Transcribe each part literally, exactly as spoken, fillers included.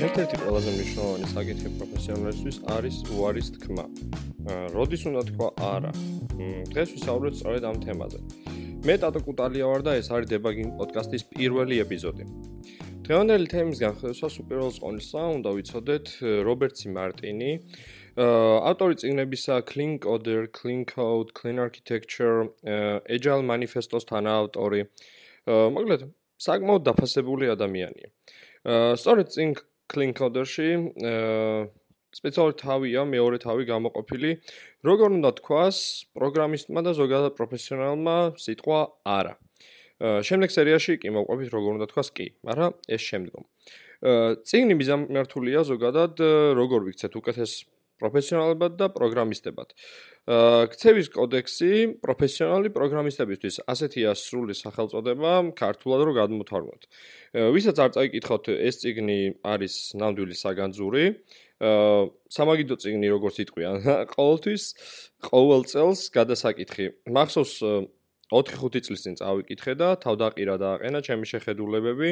ერთ-ერთი ყველაზე მნიშვნელოვანი საკითხი პროფესიონალისთვის არის უარის თქმა. როდის უნდა თქვა არა? დღეს ვისაუბრებთ სწორედ ამ თემაზე. მე ტატო კუტალია ვარ და ეს არის დებაგინგ პოდკასტის პირველი ეპიზოდი. დღევანდელი თემის განხილვას უპირველეს ყოვლისა უნდა ვიცოდეთ რობერტ სი მარტინი, ავტორი წიგნებისა Clean Coder, Clean Code, Clean Architecture, Agile Manifesto-ს თანაავტორი. მოკლედ, საკმაოდ დაფასებული ადამიანია. სწორედ წიგნ Clean Coder-ში სპეციალური თავია, მეორე თავი გამოყოფილი, როგორ უნდა თქვას პროგრამისტმა და ზოგადად პროფესიონალმა სიტყვა არა. შემდეგ სერიაში კი მოვყვებით როგორ უნდა თქვას კი, მაგრამ ეს შემდგომ. წიგნი მიზანმიმართულია ზოგადად როგორ ვიქცეთ უკეთეს პროფესიონალებად და პროგრამისტებად. ქცევის კოდექსი პროფესიონალი პროგრამისტებისთვის ასეთია სრული სახელწოდება, ქართულად რო გადმოთარგმნოთ. ვისაც არ წაიკითხოთ, ეს წიგნი არის ნამდვილი საგანძური, სამაგიდო წიგნი როგორც იტყვიან, ყოველთვის ყოველ წელს გადასაკითხი. მახსოვს ოთხი ხუთი წლის წინ წავიკითხე და თავდაყირა დააყენა ჩემი შეხედულებები.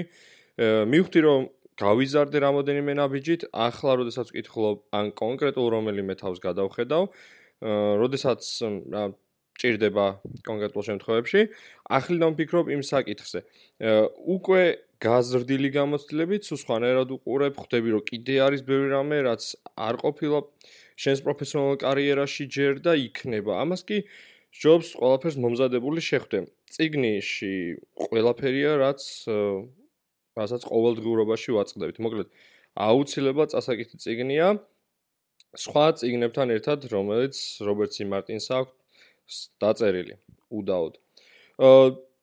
მივხვდი რომ გავიზარდე რამოდენიმე ნაბიჯით, ახლა როდესაც ვკითხულობ ან კონკრეტულ რომელიმე თავს გადავხედავ, როდესაც ჭირდება კონკრეტულ შემთხვევებში, ახლიდან ვფიქრობ იმ საკითხზე. უკვე გაზრდილი გამოცდილებით, სულ სხვანაირად უყურებ, ხვდები რომ კიდე არის ბევრი რამე, რაც არ ყოფილა შენს პროფესიონალურ კარიერაში ჯერ და იქნება. ამას კი ჯობს ყველაფერს მომზადებული შეხვდე. წიგნში ყველაფერია, რაც რასაც ყოველდღიურობაში ვაწყდებით. მოკლედ, აუცილებლად წასაკითხი წიგნია სხვა წიგნებთან ერთად, რომელიც რობერტ სი მარტინს აქვს დაწერილი, უდაოდ.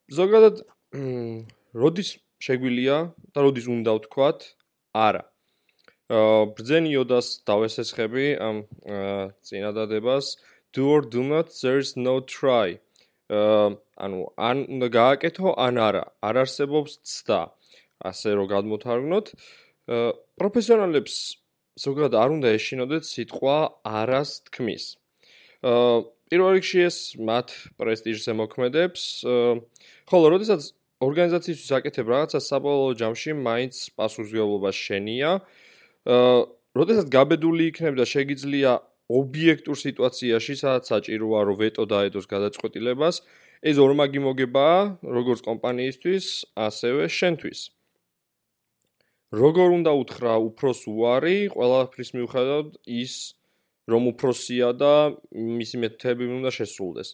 ზოგადად, როდის შეგვიძლია და როდის უნდა ვთქვათ არა. ბრძენ იოდას დავესესხები ამ წინადადებას do or do not, there's no try. ანუ ან უნდა გააკეთო, ან არა. არ არსებობს ცდა. ასე რომ გადმოთარგმნოთ, პროფესიონალებს ზოგადად არ უნდა ეშინოდეთ სიტყვა არას თქმის. პირველ რიგში ეს მათ პრესტიჟს ემოქმედებს, ხოლო როდესაც ორგანიზაციისთვის აკეთებ რაღაცას საბოლოო ჯამში მაინც პასუხისმგებლობა შენია. როდესაც გაბედული იქნებ და შეგიძლია ობიექტურ სიტუაციაში, სადაც საჭიროა რომ ვეტო დაედოს გადაწყვეტილებას, ეს ორმაგი მოგებაა როგორც კომპანიისთვის, ასევე შენთვის. როგორ უნდა უთხრა უფროს უარი, ყველაფრის მიუხედავად ის რომ უფროსია და მისი მეთოდები უნდა შესრულდეს.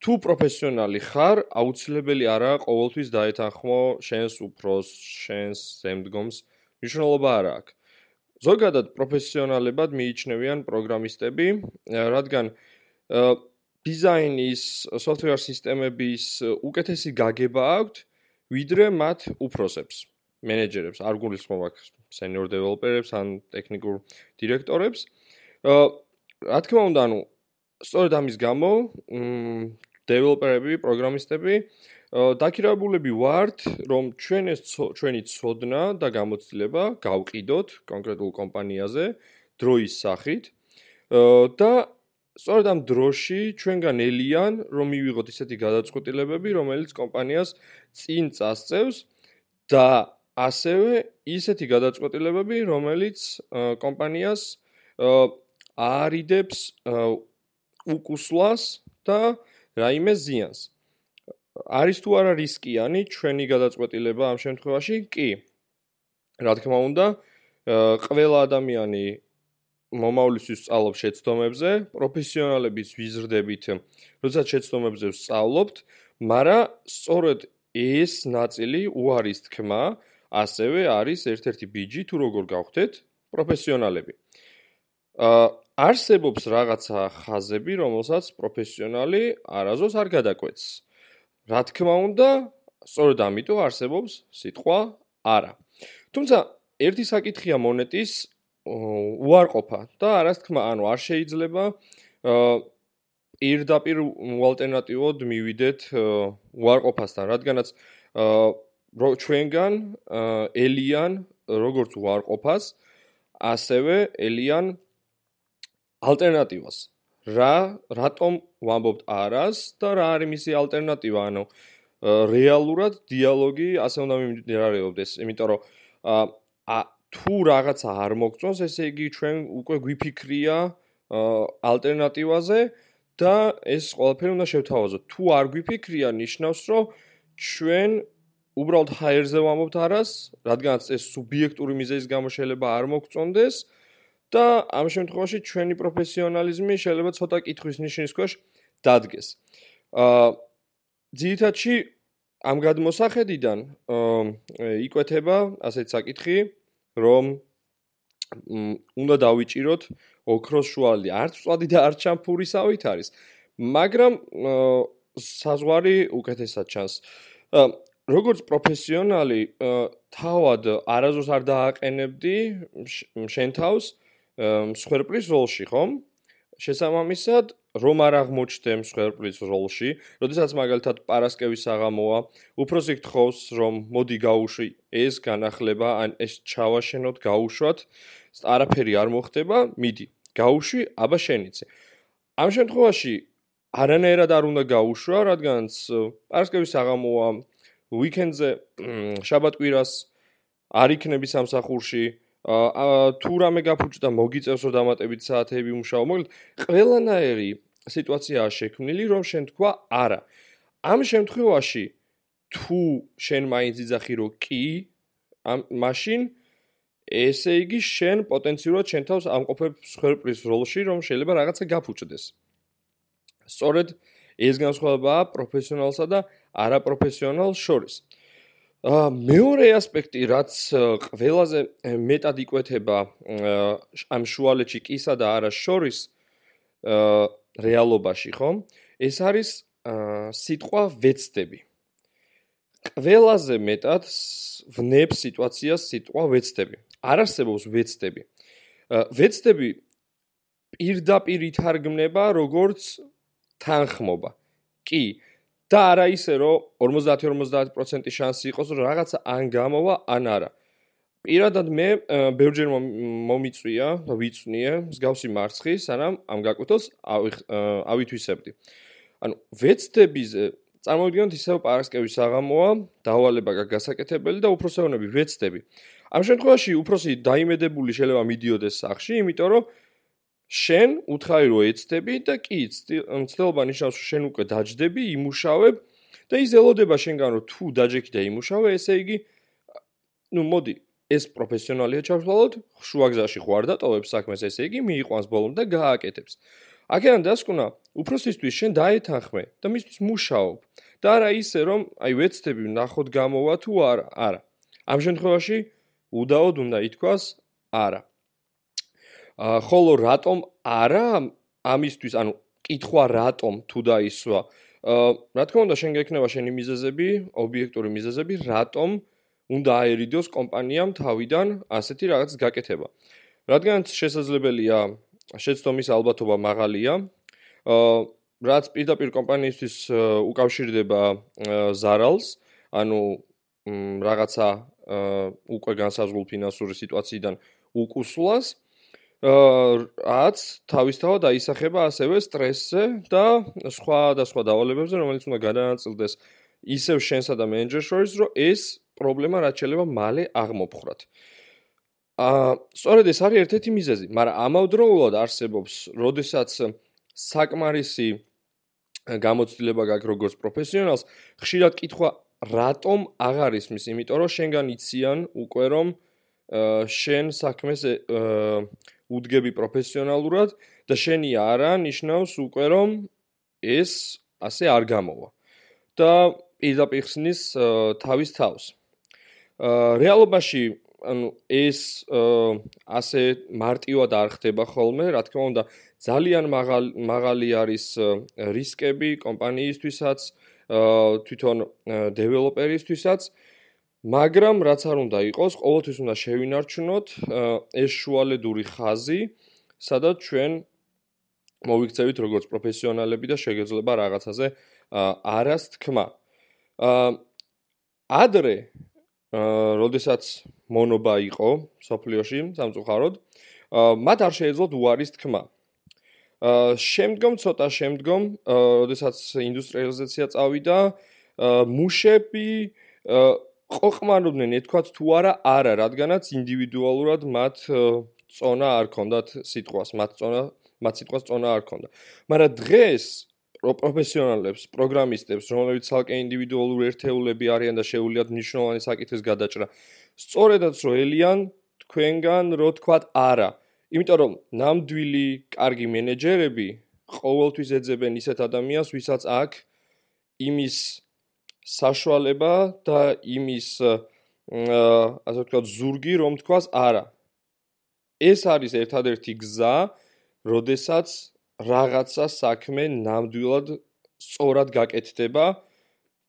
თუ პროფესიონალი ხარ, აუცილებელი არაა ყოველთვის დაეთანხმო შენს უფროს, შენს ზემდგომს, მნიშვნელობა არ აქვს. ზოგადად პროფესიონალებად მიიჩნევიან პროგრამისტები, რადგან დიზაინის, software სისტემების უკეთესი გაგება აქვთ, ვიდრე მათ უფროსებს, მენეჯერებს, არ გულისხმობ აქ senior developer-ებს ან ტექნიკურ დირექტორებს. რა თქმა უნდა, ანუ სწორედ ამის გამო, developer-ები, პროგრამისტები დაქირავებულები ვართ, რომ ჩვენ ეს ჩვენი ცოდნა და გამოცდილება გავყიდოთ კონკრეტულ კომპანიაზე დროის სახით და სწორედ ამ დროში ჩვენგან ელიან, რომ მივიღოთ ისეთი გადაწყვეტილებები, რომელიც კომპანიას წინ წასწევს და ასევე ისეთი გადაწყვეტილებები, რომელიც კომპანიას აარიდებს უკუსლას და რაიმე ზიანს. არის თუ არა რისკიანი ჩვენი გადაწყვეტილება ამ შემთხვევაში? კი. რა თქმა უნდა, ყველა ადამიანი მომავლისთვის სწავლობს შეცდომებზე, პროფესიონალების ვიზრდებით, როდესაც შეცდომებზე ვსწავლობთ, მაგრამ სწორედ ეს ნაწილი უარის თქმა ასევე არის ერთ-ერთი ბიჯი თუ როგორ გავხდეთ პროფესიონალები. არსებობს რაღაცა ხაზები, რომელსაც პროფესიონალი არასდროს არ გადაკვეთს. რა თქმა უნდა, სწორედ ამიტომ არსებობს სიტყვა არა. თუმცა ერთი საკითხია მონეტის უარყოფა და არას თქმა, ანუ არ შეიძლება პირდაპირ ალტერნატივოდ მივიდეთ უარყოფასთან, რადგანაც ჩვენგან ელიან როგორც უარყოფას, ასევე ელიან ალტერნატივას. რა, რატომ ვამბობთ არას და რა არის მისი ალტერნატივა, ანუ რეალურად დიალოგი ასე უნდა მიმდინარეობდეს, იმიტომ რომ ა თუ რაღაცა არ მოგწონს, ესე იგი ჩვენ უკვე გვიფიქრია ალტერნატივაზე და ეს ყველაფერი უნდა შევთავაზოთ. თუ არ გვიფიქრია, ნიშნავს, რომ ჩვენ უბრალოდ ჰაერზე ვამბობთ არას, რადგანაც ეს სუბიექტური მიზეზის გამო შეიძლება არ მოგწონდეს და ამ შემთხვევაში ჩვენი პროფესიონალიზმი შეიძლება ცოტა კითხვის ნიშნის ქვეშ დადგეს. აა ძირითადში ამ გადმოსახედიდან იკვეთება ასეთ საკითხი, რომ უნდა დავიჭიროთ ოქროს შუალედი. არც წვადი და არც შამფურისავით არის, მაგრამ საზღვარი უკეთესად ჩანს. როგორც პროფესიონალი, თავად არაზოს არ დააყენებდი შენ თავს მსხვერპლის როლში, ხომ? შესაბამისად, რომ არ აღმოჩნდე მსხვერპლის როლში, როდესაც მაგალითად პარასკევის საღამოა, უფროსი გთხოვს, რომ მოდი გაუშვი ეს განახლება, ან ეს ჩავაშენოთ, გაუშვათ, არაფერი არ მოხდება, მიდი, გაუშვი, აბა შენიცე. ამ შემთხვევაში არანაირად არ უნდა გაუშვა, რადგანაც პარასკევის საღამოა, ვიკენდზე, შაბათ-კვირას არ იქნები სამსახურში, თუ რამე გაფუჭდა, მოგიწევს რომ დამატებით საათები უმუშაო. მოკლედ, ყველანაირი სიტუაციაა შექმნილი, რომ შენ თქვა არა. ამ შემთხვევაში, თუ შენ მაინც იძახი რომ კი, მაშინ ესე იგი შენ პოტენციურად შენ თავს ამყოფებ მსხვერპლის როლში, რომ შეიძლება რაღაცა გაფუჭდეს. სწორედ ეს განსხვავებაა პროფესიონალსა და არაპროფესიონალს შორის. მეორე ასპექტი, რაც ყველაზე მეტად იკვეთება ამ შუალედში კისა და არას შორის რეალობაში, ხომ? ეს არის სიტყვა ვეცდები. ყველაზე მეტად ვნებს სიტუაციას სიტყვა ვეცდები. არ არსებობს ვეცდები. ვეცდები პირდაპირ ითარგმნება როგორც თანხმობა. კი, და არა ისე, რომ ორმოცდაათი ორმოცდაათი პროცენტი შანსი იყოს, რომ რაღაცა ან გამოვა, ან არა. პირადად მე ბევრჯერ მომიწვია და ვიწვნიე მსგავსი მარცხი, სანამ ამ გაკვეთილს ავითვისებდი. ანუ ვეცდებიზე წარმოვიდგინოთ ისევ პარასკევის საღამოა, დავალება გასაკეთებელი და უფროსეონები ვეცდები. ამ შემთხვევაში უფროსი დაიმედებული შეიძლება მიდიოდეს სახლში, იმიტომ რომ შენ უთხარი რომ ეცდები და კი ცდილობა ნიშნავს რომ შენ უკვე დაჯდები, იმუშავებ და ის ელოდება შენგან რომ თუ დაჯექი და იმუშავე, ესე იგი ნუ მოდი ეს პროფესიონალია ჩავშალოთ, შუაგზაში ხوار დატოვებს საქმეს, ესე იგი მიიყვანს ბოლომდე და გააკეთებს. აქედან დასკვნა უფროსისთვის შენ დაეთანხმე და მისთვის მუშაობ და არა ისე რომ აი ვეცდები ნახოთ გამოვა თუ არა, არა. ამ შემთხვევაში უდაოდ უნდა ითქვას არა. ხოლო რატომ არა ამისთვის, ანუ კითხვა რატომ თუ დაისვა. რა თქმა უნდა, შენ გექნება შენი მიზეზები, ობიექტური მიზეზები, რატომ უნდა აერიდოს კომპანიამ თავიდან ასეთი რაღაც გაკეთება. რადგანაც შესაძლებელია შეცდომის ალბათობა მაღალია, რაც პირდაპირ კომპანიისთვის უკავშირდება ზარალს, ანუ რაღაცა უკვე განსაზღვრულ ფინანსური სიტუაციიდან უკუსვლას, რაც თავისთავად აისახება ასევე სტრესზე და სხვა და სხვა დავალებებზე, რომელიც უნდა გადაანაწილდეს ისევ შენსა და მენეჯერს შორის, რომ ეს პრობლემა რაც შეიძლება მალე აღმოფხრათ. აა სწორედ ეს არის ერთ-ერთი მიზეზი, მაგრამ ამავდროულად არსებობს, როდესაც საკმარისი გამოცდილება გაქვს როგორც პროფესიონალს, ხშირად კითხვა რატომ აღარ ისმის, იმიტომ რომ შენგან იციან უკვე რომ შენ საქმეს უდგები პროფესიონალურად და შენი არა ნიშნავს უკვე რომ ეს ასე არ გამოვა და პირდაპირ ხსნის თავის თავს. რეალობაში ანუ ეს ასე მარტივად არ ხდება ხოლმე, რა თქმა უნდა, ძალიან მაღალი არის რისკები კომპანიისთვისაც, თვითონ დეველოპერისთვისაც, მაგრამ რაც არ უნდა იყოს, ყოველთვის უნდა შევინარჩუნოთ ეს შუალედური ხაზი, სადაც ჩვენ მოვიქცევით როგორც პროფესიონალები და შეგეძლება რაღაცაზე არას თქმა. ადრე როდესაც მონობა იყო სოფლიოში სამწუხაროდ, მათ არ შეეძლოთ უარის თქმა. შემდგომ ცოტა შემდგომ, როდესაც ინდუსტრიალიზაცია წავიდა, მუშები ყოყმანობდნენ, ეთქვათ თუ არა, არა, რადგანაც ინდივიდუალურად მათ წონა არ ქონდათ სიტყვას, მათ წონა, მათ სიტყვას წონა არ ქონდა. მაგრამ დღეს პროფესიონალებს, პროგრამისტებს, რომლებიც ცალკე ინდივიდუალური ერთეულები არიან და შეუძლიათ მნიშვნელოვანი საკითხის გადაჭრა, სწორედაც რო ელიან თქვენგან, რო თქვათ არა. იმიტომ რომ ნამდვილი კარგი მენეჯერები ყოველთვის ეძებენ ისეთ ადამიანს, ვისაც აქვს იმის საშუალება და იმის ასე ვთქვათ ზურგი, რომ თქვას არა. ეს არის ერთადერთი გზა, როდესაც რაღაცა საქმე ნამდვილად სწორად გაკეთდება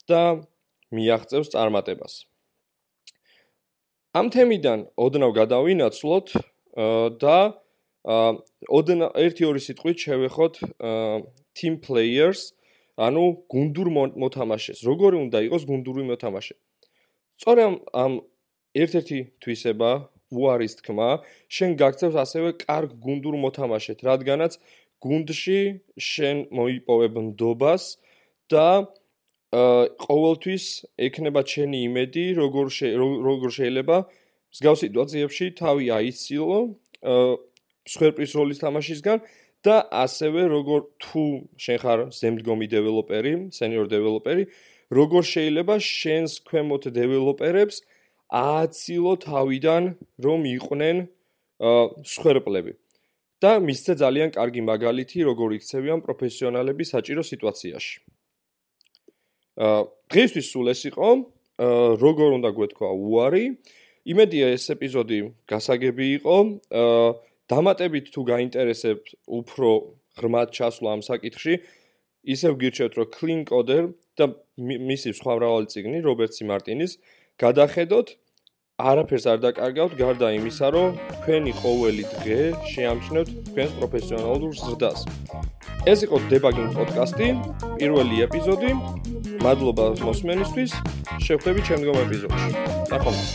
და მიაღწევს წარმატებას. ამ თემიდან ოდნავ გადავინაცვლოთ და ოდნავ ერთი-ორი სიტყვით შევეხოთ team players, ანუ გუნდურ მოთამაშეს. როგორი უნდა იყოს გუნდური მოთამაშე? სწორედ ამ ერთ-ერთი თვისება უარის თქმა, შენ გაგწევს ასევე კარგ გუნდურ მოთამაშეთ, რადგანაც გუნდში შენ მოიპოვებ ნდობას და ყოველთვის ექნება ჩენი იმედი, როგორ როგორ შეიძლება მსგავს სიტუაციებში თავი აიცილო მსხვერპლის როლის თამაშისგან და ასევე როგორ თუ შენ ხარ ზემდგომი დეველოპერი, სენიორ დეველოპერი, როგორ შეიძლება შენს ქვემოთ დეველოპერებს ააცილო თავიდან, რომ იყვნენ მსხვერპლები. და მისცე ძალიან კარგი მაგალითი, როგორ იქცევიან პროფესიონალები საჭირო სიტუაციაში. დღეისთვის სულ ეს იყო, როგორ უნდა გვეთქვა უარი. იმედია ეს ეპიზოდი გასაგები იყო. დამატებით თუ გაინტერესებთ უფრო ღრმად ჩასვლა ამ საკითხში, ისევ გირჩევთ, რომ Clean Coder და მისი სხვა მრავალი წიგნი, რობერტ სი მარტინის, გადახედოთ. არაფერს არ დაკარგავთ, გარდა იმისა, რომ თქვენი ყოველი დღე შეამჩნევთ თქვენს პროფესიონალურ ზრდას. ეს იყო Debugging პოდკასტი, პირველი ეპიზოდი. მადლობა მოსმენისთვის. შევხვდებით შემდგომ ეპიზოდში. ნახვამდის.